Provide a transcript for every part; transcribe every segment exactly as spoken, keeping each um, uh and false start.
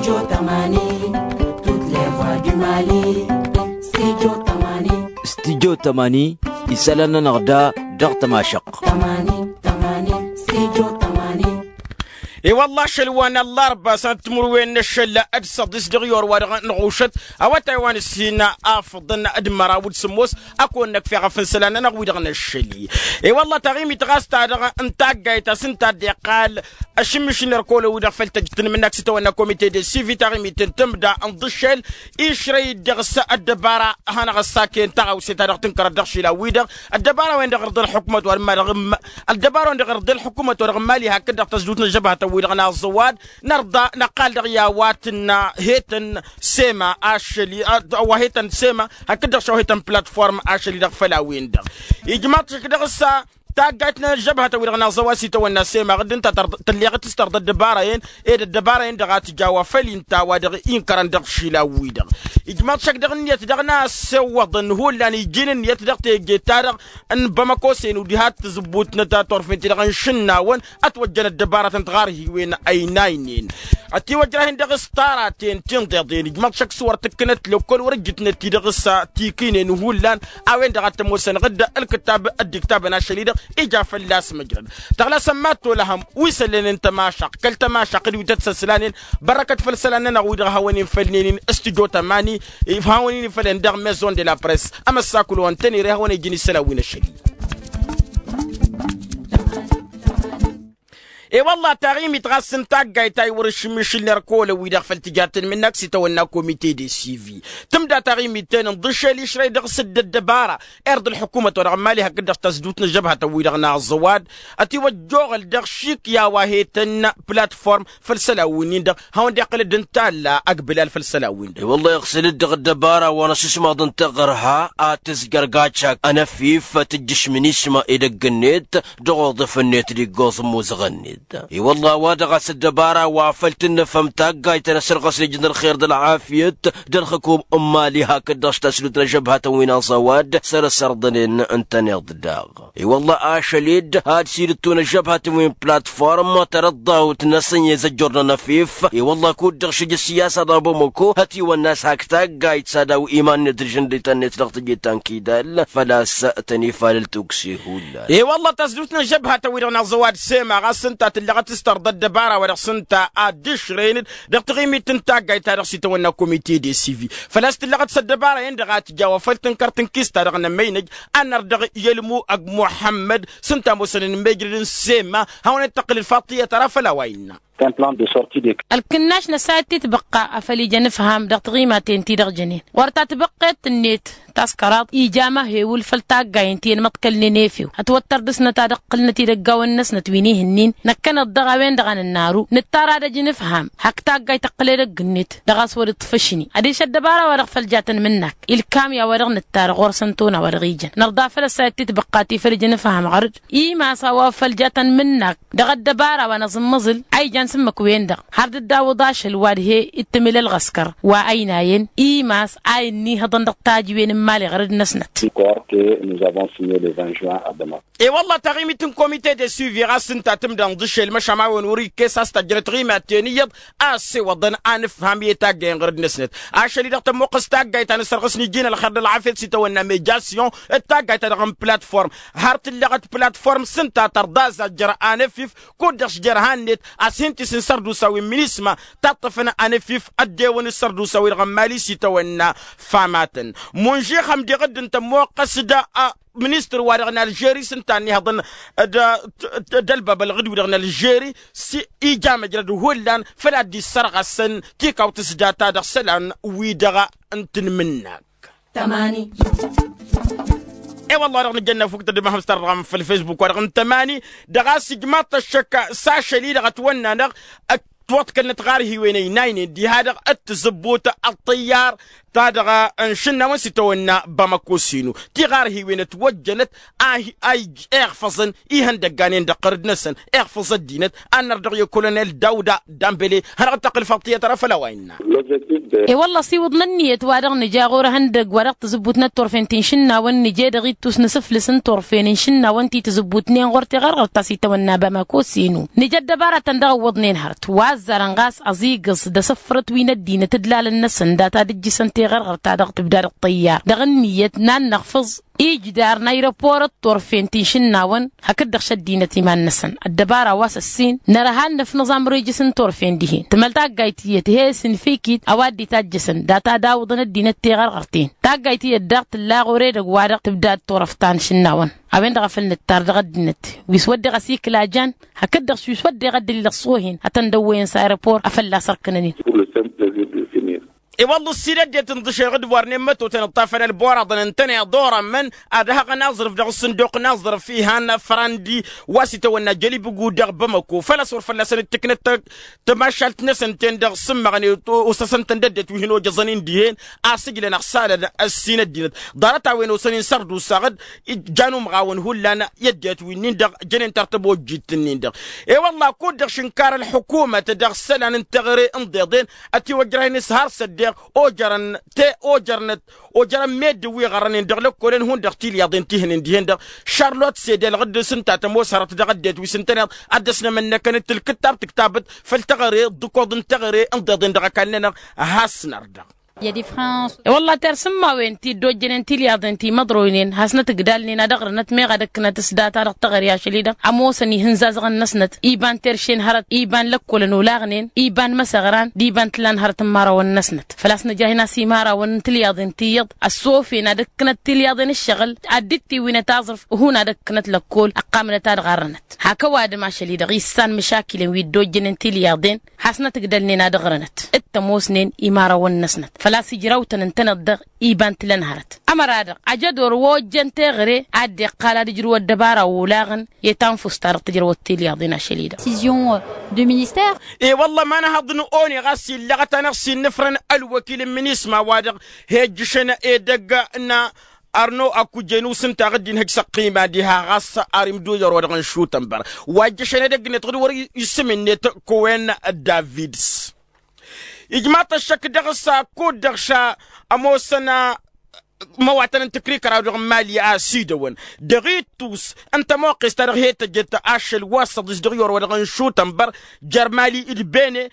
Studio tămani. Studio tămani. Isălan-nănăɣ da dăɣ-tămašăɣt. E-wălla ašăl wa n-ăllarba sănăt timǝrwen n-ašăl d-săḍis dăɣ-i or wa dăɣ-năɣušăt awătay wa n-ǝssin afǝḍăn d-măraw d-sǝmmos. Ad-kăwăn-năkf eɣăf n-isălan-nănăɣ wi-dăɣ n-ašăl-i. E-wălla taɣimit ɣas ta-dăɣ n-taggayt ta s-ǝnta a dd-iqqal ašǝmmiš n-erk olăn-wi-dăɣ făll-tăjjǝt n-imǝnnak s-itawănna komite de sivi taɣimit n-tǝmda n-iḍǝššel išrăy-dd dăɣ-s ăddăbara hanăɣ-ăssaken taɣawse ta dăɣ-tǝnkărăt dăɣ-išilan-wi-dăɣ. Ăddăbara-wen-dăɣ irḍa ălḥukmăt wa n-ma-dăɣ ăldăbara-wen-dăɣ irḍa ălḥukmăt wa dăɣ-mali hakd-dăɣ tăzdut n-ăžžăbhătăn-wi-dăɣ n-aẓăwad. Nărḍa năqqal dăɣ-i a-wa tǝnna hetăn sema ašăl-i a-wa hetăn sema hakd-dăɣ šăw hetăn platform ašăl-i-dăɣ făll-a-wen-dăɣ. Ijmaḍ-t šik dăɣ-s taggayt n-ăžžăbhătăn-wi-dăɣ n-aẓăwad s-itawănna sema ɣǝdd ǝnta tălleɣ-t s-tărḍa ăddăbara-en ed ăddăbara-en-dăɣ a tǝja wa făll-inta wa dăɣ-inkărăn dăɣ-išilan-wi-dăɣ. Ijmaḍ-t šăk dăɣ-ǝnniyăt daɣ n-a ăssewwăḍăn hullan iji n-ǝnniyăt dăɣ-teje-ta-dăɣ n-bamăko s-en udiha t-tǝzǝbbut n-tătorfent-ti-dăɣ n-išǝnnawăn ătwăjjăn ăddăbarătăn tiɣarhiwen ăynaynen. Ătiwăjrahen dăɣ-s taraten tinḍeḍen ijmaḍ šăkk s-wăr tǝkkǝnăt lăkkol wăr ǝjjǝtnăt-i dăɣ-s tikinen hullan. A-wen-dăɣ ad-t-ămoosăn ɣǝdda ǝlkǝttab ăddiktabăn ašăl-i-dăɣ ija fălla-s măjrăd. Tăɣlasăn mad-tolăhăm wi săllănen tămašăɣt kăl-tămašăɣt d-wi tăt-săslan-en. Bărrăkăt făll-isălan-nănăɣ wi-dăɣ hawăn-in făll-nen-in studio tămani. Hawăn-in făll-en dăɣ-maison de la press ămăssakul wa n-tănere hawăn-ijǝn isălan wi n-ašăl-i. E-wălla taɣimit ɣas n-taggayt ta iwăr-išǝmmišǝl n-erk olăn-wi-dăɣ făll-tǝja tǝnmǝnnak s-itawănna komite de sivi. Tǝmda taɣimit-ten n-iḍǝššel išrăy dăɣ-s dd-ăddăbara irḍa ălḥukumăt wa dăɣ-mali hakd-dăɣ tăzdut n-ăžžăbhătăn-wi-dăɣ n-aẓăwad. Ătiwăjjoɣăl dăɣ-šik i-a-wa hetăn platform făll-isălan-win-in-dăɣ hawăn-dd-iqqǝl-dd n-talla ăgg bǝlal făll-isălan-win-dăɣ. I-wălla iɣsǝl-dd dăɣ-ăddăbara wa n-asǝsmaḍ n-taɣărha ad-tǝzjăr gačak ănăfif tǝjjǝšmǝn isma edăgg-net dăɣ-oḍǝf-net d-iggoẓ n-imuzăɣ-net. I-wălla a-wa dăɣ-a-s ăddăbara wa făl tǝnnăfăm taggayt ta n-asărɣăs n-ijǝn ălxer d-ălɣafyăt d-ălxǝkum n-imali hakd-dăɣ-s taslut n-ăžžăbhatăn wi n-aẓăwad săr-ăssărḍănen ǝntăneḍ daɣ. I-wălla ašăl-dd ad-sidǝttun ăžžăbhatăn wi n-platform tărăḍḍawt-năsăn i-zăjjur n-ănăfif. I-wălla kud-dăɣ šǝj ăssiyasa daw-bamăko hătiwănna a-s hak taggayt s-ad-aw iman-net d-ažǝndităn-net dăɣ-teje ta n-kidal făl-a-s tăn-ifalăl tukse hullan. I-wălla tasdut n-ăžžăbhatăn-wi-dăɣ n-aẓăwad sema ɣas ǝnta tǝlleɣăt s-tărḍa ăddăbara wa dăɣ-s ǝnta ad-dd-išrăyăn-dd dăɣ-taɣimit n-taggayt ta dăɣ-s itawănna komite de sivi. Făl-a-s tǝlleɣăt s-ăddăbara-en-dăɣ a tǝja wa făl-tǝnkăr tǝnkist-ta-dăɣ n-ămmăynăj. Ad-nărdăɣ i-ălmu ăgg muḥămmăd s-ǝnta a ămoosăn inmejrăd n-sema hawăn-dd-tăqqǝl ălfaḍt tiyyăt ara făll-a-wa innă. Ălkǝnnaš n-ăssayăt ti tibăqqa a făl ija anǝfham dăɣ-tiɣimaten-ti-dăɣ jănen ɣur-tatbăqqet-net taskăraḍt ija amăhewǝl făll-taggayen ti ănmăḍkălnen efew ătwăttăr dăɣ-snăt ad-ǝqqǝlnăt idăggawăn-năsnăt wi n-ihǝnnin. Năkkăneḍ dăɣ-a-wen-dăɣ a nǝnnaru nǝttar ad-ăj nǝfham hak taggayt tăqqǝl edăgg-net dăɣ-a-s wăr-iṭṭfăšni ad-iša ăddăbara-wa-dăɣ făll-jatăn mǝnnak ilkam i-a-wa dăɣ-nǝttar ɣur-săn tona wa dăɣ-ijăn nărḍa făll-ăssayăt ti tibăqqa ti făl ija nǝfham ɣăr-dd imas a-wa făll-jatăn mǝnnak dăɣ-ăddăbara wa n-aẓǝmmăẓǝl a ijan s-ǝmmǝk-wen-dăɣ har dd-awǝḍ ašăl wa d-he-ittǝmǝl ălɣăskăr wa ăynayăn imas a inn'-ihăḍăn dăɣ-tajǝwen n-imali ɣărăd-năsnăt. Croire que nous avons signé le vingt juin à Bamako. E-wălla taɣimit n-komite de suivi ɣas ǝnta tǝmdănḍ ašăl măšan a-wen wăr-ikkes a-s tajjănăt tiɣimaten iyyăḍ a ăssewăḍăn a nǝfham i-taggayăn ɣărăd-năsnăt. Ašăl-i-dăɣ tămmuqqăs taggayt ta n-asărɣǝs n-iji n-ălxer d-ălɣafyăt s-itawănna mejasyon d-taggayt-ta-dăɣ n-platform har tǝlleɣăt platform s-ǝnta tărḍa azajjăr anăfif kud-dăɣ s-jer-han-net a-s hin-tisǝn sărdusa wi n-minisma taṭṭăfăn anăfif ăddewăn d-sărdusa-wi-dăɣ n-mali s-itawănna famatăn. Munžixăm diɣ dd-ǝnta ămmoqqăs d-a ministăr-wa-dăɣ n-alžeri s-ǝnta ănnihăḍăn d-ălbab ălɣǝd-wi-dăɣ n-alžeri s-ija măjrăd hullan făl ad-dd-issărɣăsăn tikawt s-data dăɣ-isălan-wi-dăɣ n-tinmǝnnak. E-wălla-dăɣ nǝjănna fukǝt ăddămahăm s-tarɣam făll-facebook-wa-dăɣ n-tămani dăɣ-a-s ijmaḍ-t ăššăk s-ašăl-i-dăɣ ătwănna-năɣ ătwăḍkălnăt ɣar hiwen ăynaynen diha-dăɣ d-tǝzǝbbut ăṭṭǝyyar ta dăɣ-n šǝnnawăn s-itawănna bamăko s-inu ti ɣar hiwen ătwăjjănăt a iɣfăẓăn ihăndăggan-en dăɣ-qărǝd-năsăn iɣfăẓ ăddinăt. Ad-nărdăɣ i-kolonel dawda dambele hanăɣ-dd-tăqqǝl făll-tiyyăt ara făll-a-wa innă. E-wălla ăsiwǝḍnăn ǝnniyăt wa dăɣ-nǝja ɣur-ehăndăgg wa dăɣ-tǝzǝbbut n-ăttorfen ti n-išǝnnawăn nǝje dăɣ-ittus n-asǝflǝs n-turfen n-išǝnnawăn ti tǝzǝbbutnen ɣur-tiɣărɣărt ta s-itawănna bamăko s-inu nǝja ăddăbaratăn dăɣ-ǝwwăḍnen hărăt wa. Ăzzarăn ɣas ăẓigǝẓ d-asǝffărăt wi n-ăddinăt ǝdlalăn-năsăn data d-ǝjjǝsăn teɣărɣărt-ta-dăɣ tǝbda dăɣ-tăyyar dăɣ-ǝnniyăt n-ad-năɣfǝẓ ijder n-ayrăpor d-turfen ti n-išǝnnawăn hakd-dăɣ šăddinăt iman-năsăn. Ăddăbara wa s-ăssin nărha ad-năfnăẓ amrejǝs n-turfen dihen tǝmăl taggayt tiyyăt he-s n-fikit a-wa dd-itajjăsăn data d-awǝḍăn ăddinăt teɣărɣărt-en. Taggayt tiyyăt daɣ tǝlla ɣur-edăgg-wa-dăɣ tǝbdad turăft ta n-išǝnnawăn. A-wen-dăɣ a făl nǝttar dăɣ-ăddinăt wi s-wădden ɣas ikla jan hakd-dăɣ s-wi s-wădden ăddălil dăɣ-s ohen ad-tăn-dăwwăyăn s-ayrăpor a fălla-s ărkǝnăn-in. I-wălla ǝssin ăddinăt ǝnḍǝšeɣ d-wărnen mătotăn ǝṭṭafăn ălboraḍăn ǝntăneḍ orămmăn ad-hăɣăn aẓrǝf dăɣ-s sǝnduq n-aẓrǝf ihan frandi wa s-itawănna jălibǝgu dăɣ-bamăko făl-a-s wăr fălla-săn dd-tǝknăt tămašalt-năsăn-ten-dăɣ s-ǝmmăɣnen osăsăn-tăn d-ăddinăt wi hin-ojăẓăn-in dihen. Asǝjlăn ăɣsalăn ǝssin ăddinăt ḍarăt-a-wen osăn-in sărdusaɣ-dd jan umɣawăn hullan i-ăddinăt winnin-dăɣ jănen tartăbojjit-nin-dăɣ. I-wălla kud-dăɣ šǝnkar ălḥukumăt dăɣ-isălan n-teɣăre n-iḍeḍen ătiwăjrăh-in s-har s-ăddeɣ ojărăn te ojărnăt ojărăn meddǝn wi ɣărrănen dăɣ-lăkkolăn hundăɣ tilyaḍen ti hănen dihen-dăɣ. Šarlot s-ed elɣǝd s-ǝnta tămoos hărăt dăɣ-ăddinăt wi s-ǝntăneḍ ad-dăr-s nămănnăkăn d-tǝlkǝttab tǝktabăt făll-teɣăre d-ǝkoḍ n-teɣăre n-iḍeḍen dăɣ-ăkall-nănăɣ. Has-năr-dăɣ. I-wălla tersǝmmawen ti dd-ojjănen tilyaḍen ti măḍroynen hasnăt ǝgdalnen ad-ăɣrǝnăt meɣ ad-ǝkkǝnăt s-data dăɣ-teɣăre ašăl-i-dăɣ ămoosăn ihǝnzazăɣăn-năsnăt iban terše n-hărăt iban lăkkolăn olaɣnen iban măsăɣran d-iban tǝla n-hărăt n-imărawăn-năsnăt. Făl-a-s nǝjrăh-in a-s imărawăn n-tilyaḍen tiyyăḍ ăssofen ad-ǝkkǝnăt tilyaḍen ǝššăɣǝl ad-dd-tiwinăt aẓrǝf. Hun ad-ǝkkǝnăt lăkkol ăqqamnăt ad-ɣarrănăt hak ăwadǝm ašăl-i-dăɣ issan măšakilăn wi dd-ojjănen tilyaḍen. Hasnăt ǝgdălnen ad-ăɣrănăt d-tămoosnen imărawăn-năsnăt făl-a-s ǝjrawtăn ǝntăneḍ-dăɣ iba n-tǝla n-hărăt. Ămăra-dăɣ ajădor wa ojjăn teɣăre ad-dd-iqqal ad-ǝjrǝw ăddăbara olaɣăn i-tanfust-ta-dăɣ tǝjrăwăt tilyaḍen ašăl-i-dăɣ. Decision de minister. I-wălla ma n-ahăḍ n-one ɣas illăɣăt-anăɣ s-innǝfrăn ălwăkil n-minisma wa-dăɣ hejjǝšăn edăgg n-arno akujenu s-ǝnta aɣǝddin hăj s-ăqqima diha ɣas ar imduyăr wa dăɣ-nǝšutăn băr wa ijjăšăn edăgg-net ɣǝd wăr-isǝm-net kowen davids. Ijmaḍ-t ăššăk dăɣ-s kud-dăɣ š-ămoosăn imăwatăn n-tǝkrikăraw dăɣ-mali a ăsidăwăn dăɣ-ittus n-tămoqqes-ta-dăɣ he-tăjjăt ašăl wa s-ăḍis dăɣ-iwăr wa dăɣ-nǝšutăn băr jer-mali d-bene.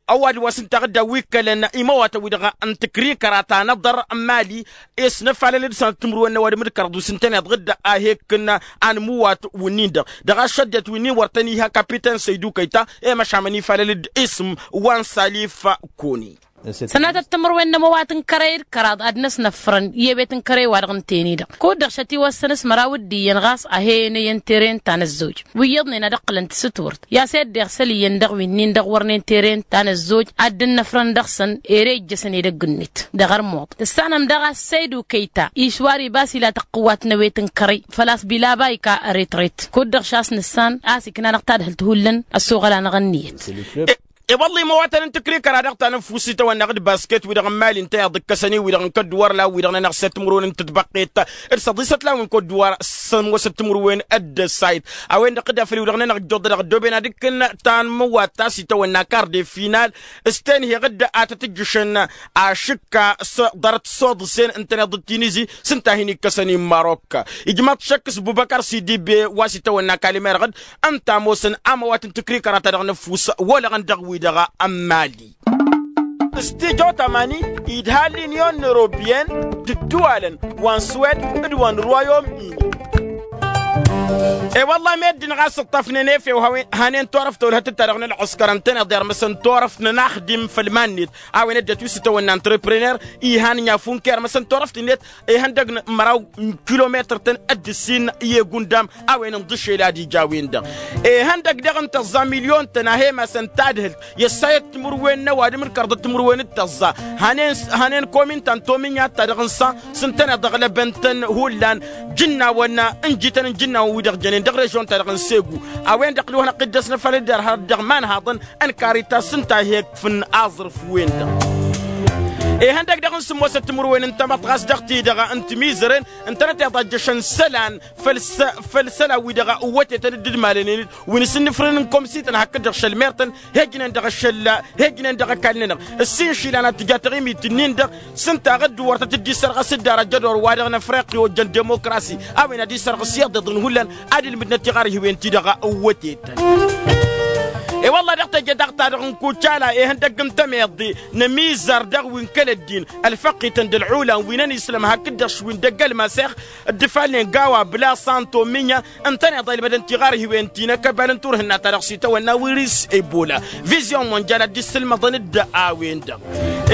Ăwadǝm wa s-ǝnta ɣǝdda wi ǝkkălăn imăwatăn-wi-dăɣ n-tǝkrikăra ta n-aḍăr n-mali s-năfalăl d-sănăt timǝrwen n-ăwadǝm d-kăraḍ wi s-ǝntăneḍ ɣǝdda a he-ǝkkǝn anmǝwat wǝnnin-dăɣ dăɣ-ašăddăt wǝnnin wăr tăn-iha kapiten săydu kăyta i-măšamăn ifalăl-dd isǝm wa n-salif koni. Sănatăt timǝrwen n-ămăwat n-kărăy d-kăraḍ ad-năsnăfrăn i-ewet n-kărăy-wa-dăɣ ǝnta-en-i-dăɣ kud-dăɣ šătiwăssăn s-măraw d-iyyăn ɣas a he-enăyăn tere n-ta n-ăzzoj wi iyyăḍnen ad-ǝqqǝlăn tasǝtwărt i-a-s eddeɣ săl iyyăn dăɣ-winnin dăɣ-wărnen tere n-ta n-ăzzoj ad-dd-ǝnnăfrăn dăɣ-săn ere ijjăsăn edăgg-net dăɣ-ărmuḍ. Tǝssanăm daɣ a-s săydu kăyta išwar iba s-ila tăqqǝwat n-ewet n-kărăy făl-a-s bilaba ika ăretret kud-dăɣ šas nǝssan a-s ikna-năɣ tadhǝlt hullan ăssoɣăl-anăɣ ǝnniyăt. E-wălla imăwatăn n-tǝkrikăra dăɣ-ta n-ăffuss itawănna ɣǝd basket-wi-dăɣ n-mali ǝnta iḍǝkkăsăn-i-wi-dăɣ n-kădduwar la wi-dăɣ-nănăɣ s-e-timǝrwen n-tǝtbăqqet d-săḍisăt la wi n-kădduwar s-ămoosăt timǝrwen d-ăssayt. A-wen-dăɣ dd-afăl-i-wi-dăɣ-nănăɣ ǝjjoḍ dăɣ-ăddooben ad-ǝkkǝn tanmǝwat ta s-itawănna ăkar de final s-tenheɣ-dd a tăt-ǝjjǝšăn ašǝkka s-ḍarăt s-oḍǝsen ǝntăneḍ d-tinizi s-ǝnta a hin-ikkăsăn i-marok. Ijmaḍ šăkk s-bubăkăr s-idibe wa s-itawănna kalimerăɣ-dd ǝnta ămoosăn amăwat n-tǝkrikăra ta dăɣ-năfus wălăɣăn dăɣ-wi-dăɣ n-mali. S-tijot amani idha l-inyon n-europyen d-ǝddǝwalăn wa n-swed d-wa n-royom-ini. E-wălla meddǝn ɣas ǝṭṭăfnen efew hanen torăft tolhătăt ta dăɣ-nălɣǝskăr ǝntăneḍ i-armăsăn torăft n-ănaxdim făll-iman-net a-wen ăddinăt wi s-itawănna antreprenăr ihan n-inyafun kăy-armăsăn torăft-net ihăndăg n-măraw n-kilometăr-tăn d-ǝssin i-egundam a-wen ǝnḍǝšel ad-ija a-wen-dăɣ ihăndăg daɣ n-tăẓẓa milyon-tăn a he-masăn tadhǝlt i-ăssayăt timǝrwen n-ăwadǝm d-kărdăt timǝrwen d-tăẓẓa. Hanen komin ta n-tominya ta dăɣ-nǝsa s-ǝntăneḍ ăɣlăbăn-tăn hullan jǝnnawăn n-jităn n-jǝnnawăn-wi-dăɣ jănen dăɣ-režion-ta-dăɣ n-segu. A-wen-dăɣ d-wa hanăɣ-t-dd-ăsnăfalăd d-ărhăr dăɣ-iman haḍăn n-karitas ǝnta a he-ǝkfǝn aẓrǝf-wen-dăɣ. Ihăndăg daɣ n-sǝmmosăt timǝrwen n-tamăḍt ɣas dăɣ-ti-dăɣ n-timizăren ǝntănăt iḍajjăšăn isălan făll-isălan-wi-dăɣ ǝwwătetăn dd-idmalănen-dd wi n-asǝnnǝfrǝn n-komsi-tăn hakd-dăɣ šăl mer-tăn. Hejnen dăɣ-ašăl hejnen dăɣ-ăkall-nănăɣ ǝssin išilan ad-tǝja taɣimit-nin-dăɣ s-ǝnta a ɣǝdd wăr tăt-dd-isărɣăs dd-arăjjăd orwa-dăɣ n-afriqi ojjăn demokrasi a-wen ad-isărɣǝs iyyăḍ iḍǝn hullan ad-ilmǝdnăt tiɣarhiwen-ti-dăɣ ǝwwătetăn. I-wălla dăɣ-teje daɣ-ta-dăɣ n-kucala ihăndăgg n-temeḍe n-ămizar dăɣ-wi n-kăl-ăddin ălfăqqităn d-ălɣulan wi n-ănisǝlăm hakd-dăɣ š-wi n-dăgg-ălmasăx, dd-ifalnen gawa bla santo minya ǝntăneḍ a ilmădăn tiɣarhiwen ti n-akăbal n-turhǝnna-ta-dăɣ s-itawănna wiris ebola. Vizyon monjal ad-dd-issǝlmăḍăn-dd a-wen-dăɣ.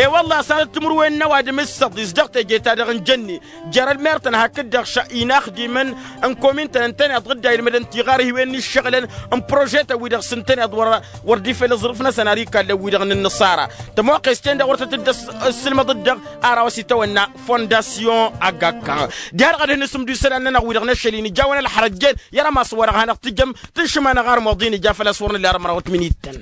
I-wălla s-ad-dd-timǝrwen n-ăwadǝm s-săḍis dăɣ-teje-ta-dăɣ n-jănne jer-ălmer-tăn hakd-dăɣ inaxdimăn n-komin-tăn ǝntăneḍ dd-a ilmădăn tiɣarhiwen n-ǝššăɣǝlăn n-prožetăn-wi-dăɣ s-ǝntăneḍ wăr dd-ifel aẓrǝf-năsăn ar ikallăn wi-dăɣ n-ǝnnăṣara. Tămoqqes-ten-dăɣ wăr tăt-dd-ăssilmăḍ-dd-dăɣ ar a-wa s-itawănna fondasyon agakka. Diha-dăɣ ad-hin-isǝmdu isălan-nănăɣ wi-dăɣ n-ašăl-in ijawăn ălxărăjjen i-arămas wa-dăɣ hanăɣ-tǝjăm tǝnšǝm-anăɣ armuḍ-in ija făl-a-s wăr nǝlla ar ămărawăt minittăn.